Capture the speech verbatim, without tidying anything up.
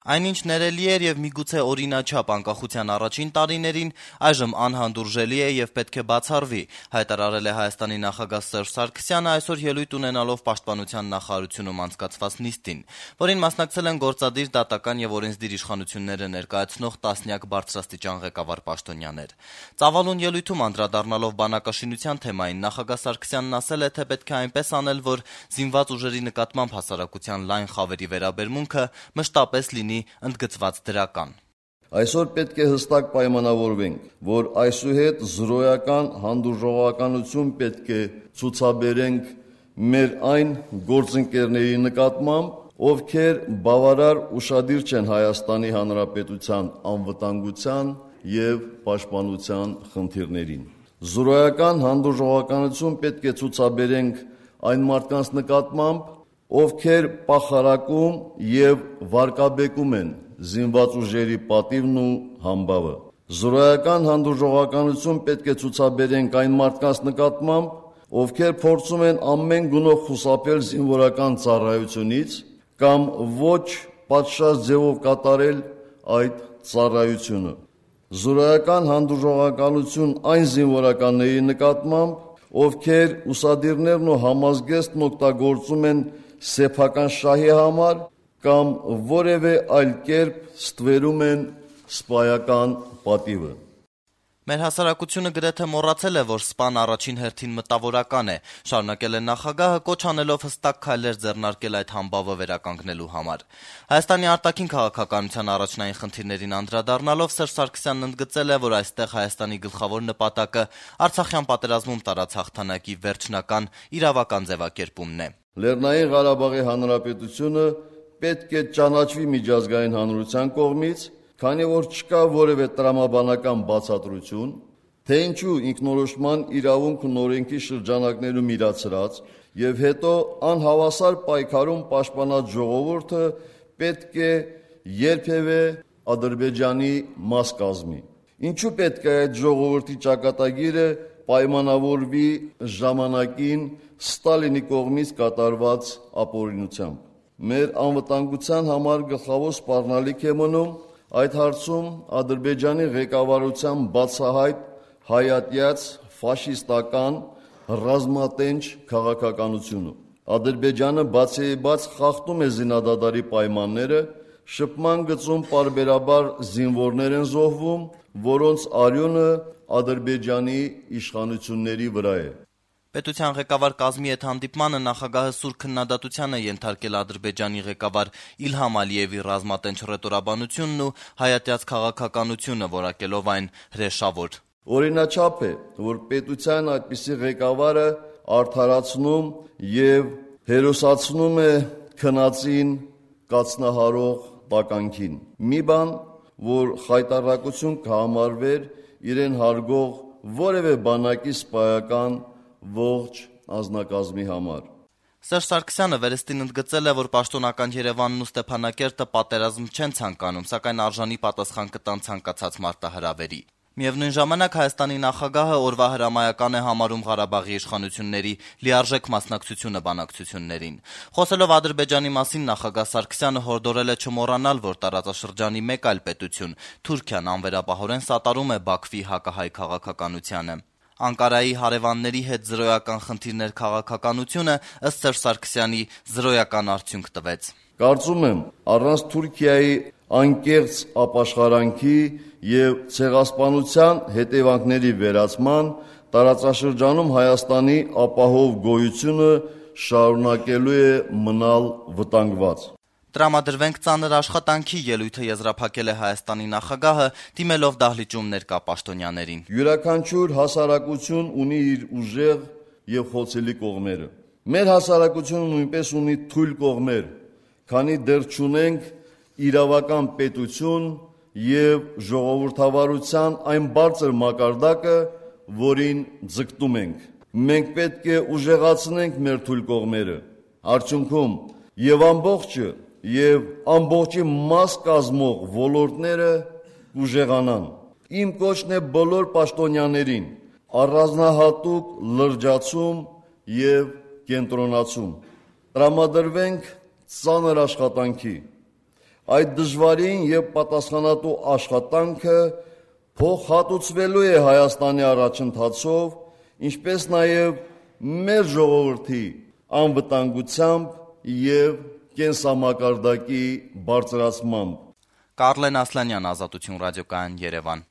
Այնինչ ներելի էր եւ միգուցե օրինաչափ անկախության առաջին տարիներին, այժմ անհանդուրժելի է եւ պետք է բացառվի, հայտարարել է Հայաստանի նախագահ Սերժ Սարգսյանը այսօր ելույթ ունենալով Պաշտպանության նախարարությունում անցկացված նիստին, որին մասնակցել են գործադիր, դատական եւ օրենսդիր իշխանությունները ներկայացնող տասնյակ բարձրաստիճան ղեկավար պաշտոնյաներ։ Ծավալուն ելույթում անդրադառնալով բանակաշինության թեմային, նախագահ Սարգսյանն ասել է, թե պետք է այնպես անել, որ զինված ուժերի նկատմամբ հասարակության լայն խավերի վերաբերմունքը մշտապես լինի ընդգծված դրական։ Այսօր պետք է հստակ պայմանավորվենք, որ այսուհետ զրոյական հանդուրժողականություն պետք է ցուցաբերենք մեր այն գործընկերների նկատմամբ, ովքեր բավարար ուշադիր չեն Հայաստանի Հանրապետության անվտանգության եւ պաշտպանության խնդիրներին։ Զրոյական հանդուրժողականություն պետք է ցուցաբերենք այն մարդկանց նկատմամբ, ովքեր պախարակում եւ վարկաբեկում են զինված ուժերի պատիվն ու համբավը։ Զրոյական հանդուրժողականություն պետք է ցուցաբերենք այն մարդկանց նկատմամբ, ովքեր փորձում են ամեն գնով խուսափել զինվորական ծառայությունից կամ ոչ պատշաճ ձևով կատարել այդ ծառայությունը։ Զրոյական հանդուրժողականություն այն զինվորականների նկատմամբ, ովքեր ուսադիրներն ու համազգեստն օգտագործում են սեփական շահի համար կամ որևէ այլ կերպ ստվերում են սպայական պատիվը։ Մեր հասարակությունը գրեթե մոռացել է, որ սպան առաջին հերթին մտավորական է, շարունակել է նախագահը, կոչ անելով հստակ քայլեր ձեռնարկել այդ համբավը վերականգնելու համար։ Հայաստանի արտաքին քաղաքականության առաջնային խնդիրներին անդրադառնալով Սերժ Սարգսյանն ընդգծել է, որ այստեղ Հայաստանի գլխավոր նպատակը Արցախյան պատերազմում տարած հաղթանակի վերջնական իրավական ձևակերպումն է։ Լեռնային Ղարաբաղի Հանրապետությունը պետք է ճանաչվի միջազգային հանրության կողմից, քանի որ չկա որևէ տրամաբանական բացատրություն, թե ինչու ինքնորոշման իրավունքն օրենքի շրջանակներում իրացրած եւ հետո անհավասար պայքարում պաշտպանած ժողովուրդը պետք է երբևէ Ադրբեջանի մաս կազմի։ Ինչու պետք է այդ ժողովրդի ճակատագիրը պայմանավորվի ժամանակին Ստալինի կողմից կատարված ապօրինությամբ։ Մեր անվտանգության համար գլխավոր սպառնալիք է մնում այդ հարցում Ադրբեջանի ղեկավարության բացահայտ հայատյաց ֆաշիստական ռազմատենչ քաղաքականությունը։ Ադրբեջանը բացեիբաց խախտում է զինադադարի պայմանները, շփման գծում պարբերաբար զինվորներ են զոհվում, որոնց արյունը Ադրբեջանի իշխանությունների վրա է։ Պետության ղեկավար կազմի հետ հանդիպմանը նախագահը սուր քննադատության է ենթարկել Ադրբեջանի ղեկավար Իլհամ Ալիևի ռազմատենչ ռետորաբանությունն ու հայատյաց քաղաքականությունը, որակելով այն հրեշավոր։ Օրինաչափ է, որ պետության այդպիսի ղեկավարը արդարացնում եւ հերոսացնում է քնածին կացնահարող տականքին։ Մի բան, որ խայտառակություն կհամարվեր իրեն հարգող որևէ բանակի սպայական ողջ անձնակազմի համար։ Սերժ Սարգսյանը վերստին ընդգծել է, որ պաշտոնական Երևանն ու Ստեփանակերտը պատերազմ չեն ցանկանում, սակայն արժանի պատասխան կտան ցանկացած մարտահրավերի։ Միևնույն ժամանակ Հայաստանի նախագահը օրվա հրամայական է համարում Ղարաբաղի իշխանությունների լիարժեք մասնակցությունը բանակցություններին։ Խոսելով Ադրբեջանի մասին, նախագահ Սարգսյանը հորդորել է չմոռանալ, որ տարածաշրջանի մեկ այլ պետություն՝ Թուրքիան անվերապահորեն սատարում է Բաքվի հակահայ քաղաքականությանը։ Անկարայի հարևանների հետ զրոյական խնդիրներ քաղաքականությունը ըստ Սերժ Սարգսյանի զրոյական արդյունք տվեց։ Կարծում եմ, առանց Թուրքիայի անկեղծ ապաշխարանքի եւ ցեղասպանության հետևանքների վերացման տարածաշրջանում Հայաստանի ապահով գոյությունը շարունակելու է մնալ վտանգված։ Տրամադրվենք ծանր աշխատանքի ելույթը եզրափակել է Հայաստանի նախագահը, դիմելով դահլիճում ներկա պաշտոնյաներին։ Յուրաքանչյուր հասարակություն ունի իր ուժեղ եւ խոցելի կողմերը։ Մեր հասարակությունը նույնպես ունի թույլ կողմեր, քանի դեռ չունենք իրավական պետություն եւ ժողովրդավարության այն բարձր մակարդակը, որին ձգտում ենք։ Մենք պետք է ուժեղացնենք մեր թույլ կողմերը։ Արդյունքում եւ ամբողջը եւ ամբողջի մաս կազմող ոլորտները ուժեղանան։ Իմ կոչն է բոլոր պաշտոնյաներին առանձնահատուկ լրջացում եւ կենտրոնացում։ Տրամադրվենք ծանր աշխատանքի։ Այդ դժվարին եւ պատասխանատու աշխատանքը փոխհատուցվելու է Հայաստանի առաջընթացով, ինչպես նաեւ մեր ժողովրդի անվտանգությամբ եւ կենսամակարդակի բարձրացմամբ։ Կարլեն Ասլանյան, Ազատություն ռադիոկայան, Երևան։